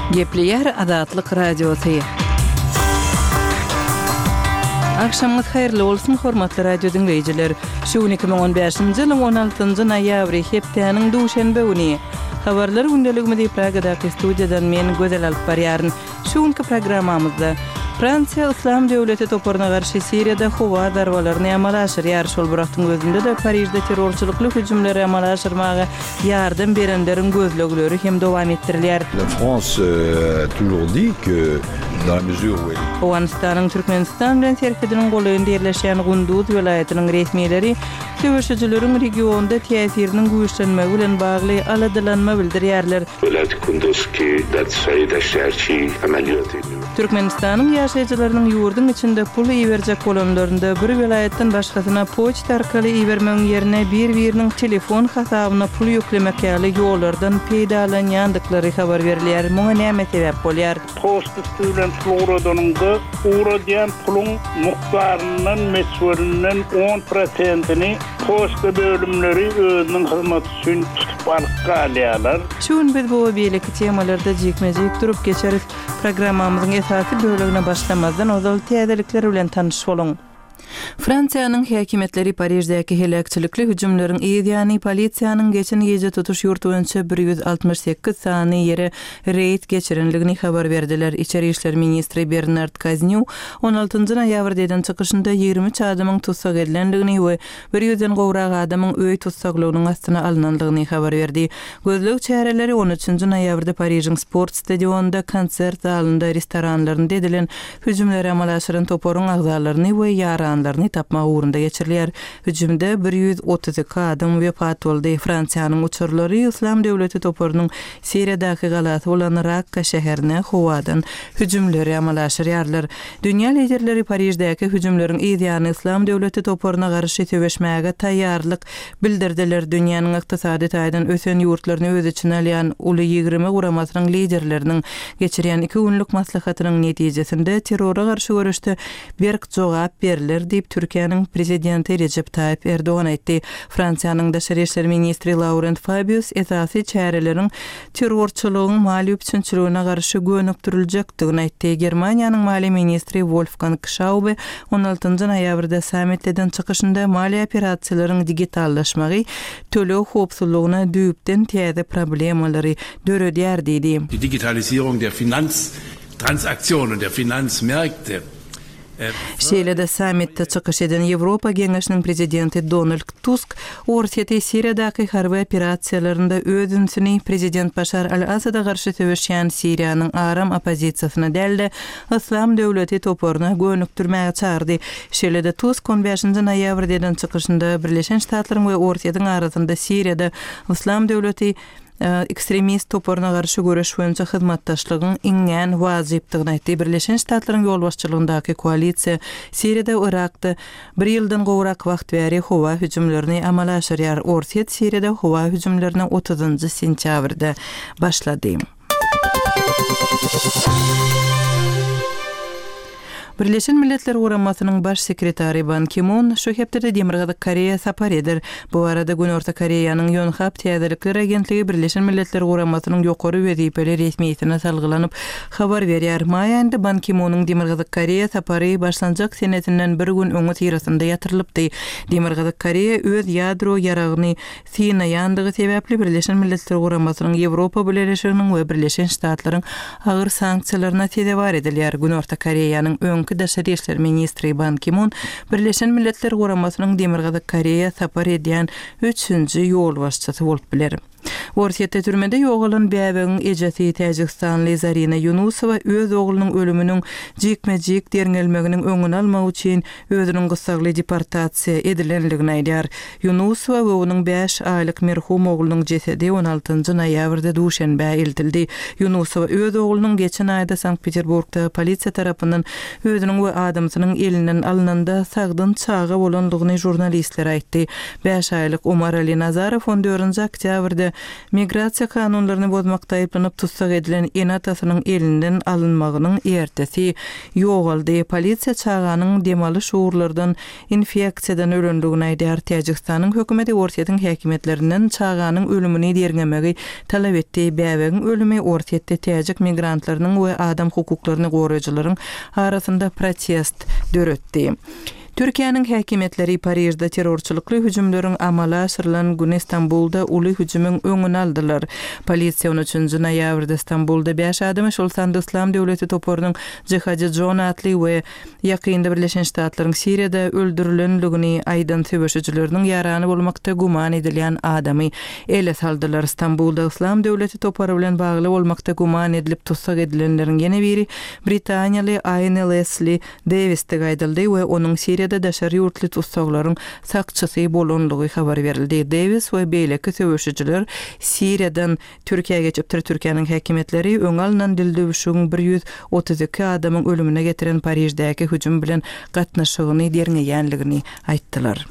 Gepleýär Azatlyk Radiosy. Agşamyňyz haýyrly bolsun, hormatly radio diňleýjiler! Şu gün 2015-nji ýylyň 16-njy noýabry, hepdäniň duşenbe güni. Habarlar gündeligimizi Pragadaky studiýadan men, Gözel alyp barýaryn. Şu günki programmamyzda, Fransiýa Yslam döwleti toparyna garşy Siriýada howa zarbalaryny amala aşyrýar, şol bir wagtyň özünde-de Parižde terrorçylykly hüjümleri amala aşyrmaga ýardam berenleriň gözlegleri hem dowam etdirilýär. La France a toujours dit que dans la mesure où elle. Owganystanyň Türkmenistan bilen serhediniň golaýynda ýerleşýän Gunduz welaýatynyň resmileri söweşijileriň regionda täsiriniň güýçlenmegi bilen bagly aladalanma bildirýärler. Welaýaty Kunduz ki dar Deşterçi amalýaty. Türkmenistanyň ýaşaýjylarynyň ýurduň içinde pul iberjek bolanlarynda bir welaýatdan başgasyna poçta arkaly ibermegiň ýerine bir-biriniň telefon hasabyna pul ýüklemek ýaly ýollardan peýdalanýandyklary habar berilýär. Muňa näme sebäp bolýar? Poçta üsti bilen pul ugradanyňda, ugradýan puluň mukdaryndan, möçberinden on prosentini poçta bölümleri özüniň hyzmaty üçin tutup alyp galýarlar. Şu gün biz bu we beýleki temalarda jikme-jik durup geçeris. Programmamyzyň esasy bölegine başlamazdan ozal täzelikler bilen tanyş boluň. Fransiýanyň häkimiýetleri Pariždäki heläkçilikli hüjümleriň yz ýany polisiýanyň geçen gije tutuş ýurt boýunça 168 sany ýere reýd geçirendigini habar berdiler. Içeri işler ministri Bernard Kaznýu on altynjy noýabrda eden çykyşynda 23 adamyň tussag edilendigini we bir ýüzden gowrak adamyň öý tussaglygynyň astyna alnandygyny habar berdi. Gözleg çäreleri on üçünji noýabrda Parižiň sport stadionynda, konsert zalynda, restoranlarynda edilen hüjümleri amala aşyran toparyň agzalaryny we ýaranlaryny tapmak ugrunda geçirilýär. Hüjümde 132 adam wepat boldy. Fransiýanyň uçarlary Yslam döwleti toparynyň Siriýadaky galasy bolan Rakka şäherine howadan hüjümleri amala aşyrýarlar. Dünýä liderleri Pariždäki hüjümleriň yz ýany Yslam döwleti toparyna garşy söweşmäge taýýarlyk bildirdiler. Dünýäniň ykdysady taýdan ösen ýurtlaryny öz içine alýan Uly 20 guramasynyň liderleriniň geçirýän iki günlük maslahatynyň netijesinde terrora garşy göreşde berk jogap berler diýip, Türkiýäniň Prezidenti Rejep Taýyp Erdogan aýtdy. Fransiýanyň daşary işler ministri Laurent Fabius esasy çäreleriň terrorçylygyň maliýe üpjünçiligine garşy gönükdiriljekdigini aýtdy. Germaniýanyň maliýe ministri Wolfgang Şaube on altynjy noýabrda sammitde eden çykyşynda maliýe operasiýalaryň digitallaşmagy töleg howpsuzlygyna düýpden täze problemalary döredýär diýdi. Die Digitalisierung der Finanztransaktionen, der Finanzmärkte Şeýle-de sammitde çykyş eden Ýewropa Geňeşiniň prezidenti Donald Tusk Orsýeti Siriýadaky harby operasiýalarynda öz ünsüni prezident Başar al-Asada garşy söweşýän Siriýanyň aram oppozisiýasyna däl-de, Yslam döwleti toparyna gönükdirmäge çagyrdy. Şeýle-de Tusk on bäşinji noýabrda eden çykyşynda Birleşen Ştatlaryň we Orsýetiň arasynda Siriýada Yslam döwleti ekstremist toparyna garşy göreş boýunça hyzmatdaşlygyň iňňän wajypdygyny aýtdy. Birleşen Ştatlaryň ýolbaşçylygyndaky koalisiýa Siriýada we Yrakda bir ýyldan gowrak wagt bäri howa hüjümlerini amala aşyrýar. Orsýet Siriýada howa hüjümlerine otuzynjy sentýabrda başlady. Birleşen Milletler Guramasynyň Baş sekretary Ban Ki-mun şu hepdede Demirgazyk Koreýa sapar eder. Bu barada Günorta Koreýanyň Ýonhap täzelikler agentligi Birleşen Milletler Guramasynyň ýokary wezipeli resmisine salgylanyp habar berýär. Maý aýynda Ban Ki-munyň Demirgazyk Koreýa sapary başlanjak senesinden bir gün öňüsyrasynda ýatyrylypdy. Demirgazyk Koreýa öz ýadro ýaragyny synaýandygy sebäpli Birleşen Milletler Guramasynyň, Ýewropa Bileleşiginiň we Birleşen Ştatlaryň agyr sanksiýalaryna sezewar edilýär. Günorta Koreýanyň öňki daşary işler ministri Ban Ki-mun Birleşen Milletler Guramasynyň Demirgazyk Koreýa sapar edýän üçünji ýolbaşçysy bolup biler. Orsýetde türmede ýogalan bäbegiň ejesi täjigistanly Zarina Ýunusowa öz oglunyň ölüminiň jikme-jik derňelmeginiň öňüni almak üçin özüniň gyssagly deportasiýa edilendigini aýdýar. Ýunusowa we onuň bäş aýlyk merhum oglunyň jesedi on altynjy noýabrda Duşenbä eltildi. Ýunusowa öz oglunyň geçen aýda Sankt-Peterburgda polisiýa tarapyndan özüniň we adamsynyň elinden alnanda sagdyn çaga bolandygyny žurnalistlere aýtdy. Bäş aýlyk Omarali Nazarow on dördünji oktýabrda. Migrasiýa kanunlaryny bozmakda aýyplanyp tussag edilen ene-atasynyň elinden alynmagynyň ertesi ýogaldy. Polisiýa çaganyň dem alyş ugurlardan infeksiýadan ölendigini aýdýar. Täjigistanyň hökümeti Orsýetiň häkimiýetlerinden çaganyň ölümini derňemegi talap etdi. Bäbegiň ölümi Orsýetde täjik migrantlarynyň we adam hukuklaryny goraýjylaryň arasynda protest döretdi. Türkiýäniň häkimiýetleri Parižde terrorçylykly hüjümleriň amala aşyrylan güni Stambulda uly hüjümiň öňüni aldylar. Polisiýa on üçünji noýabrda Stambulda bäş adamy, şol sanda Yslam döwleti toparynyň Jihadi John atly we ýakynda Birleşen Ştatlaryň Siriýada öldürilenligini aýdan söweşijileriniň ýarany bolmakda güman edilýän adamy ele saldylar. Stambulda Yslam döwleti topary bilen bagly bolmakda güman edilip tussag edilenleriň ýene biri britaniýaly Aýne Lesli Dewisdigi aýdyldy we onuň Siriýada daşary ýurtly tussaglaryň sakçysy bolanlygy habar berildi. Dewis we beýleki söweşijiler Siriýadan Türkiýä geçipdir. Türkiýäniň häkimiýetleri öňi alnan dildüwşügiň 132 adamyň ölümine getiren Pariždäki hüjüm bilen gatnaşygyny derňeýänligini aýtdylar.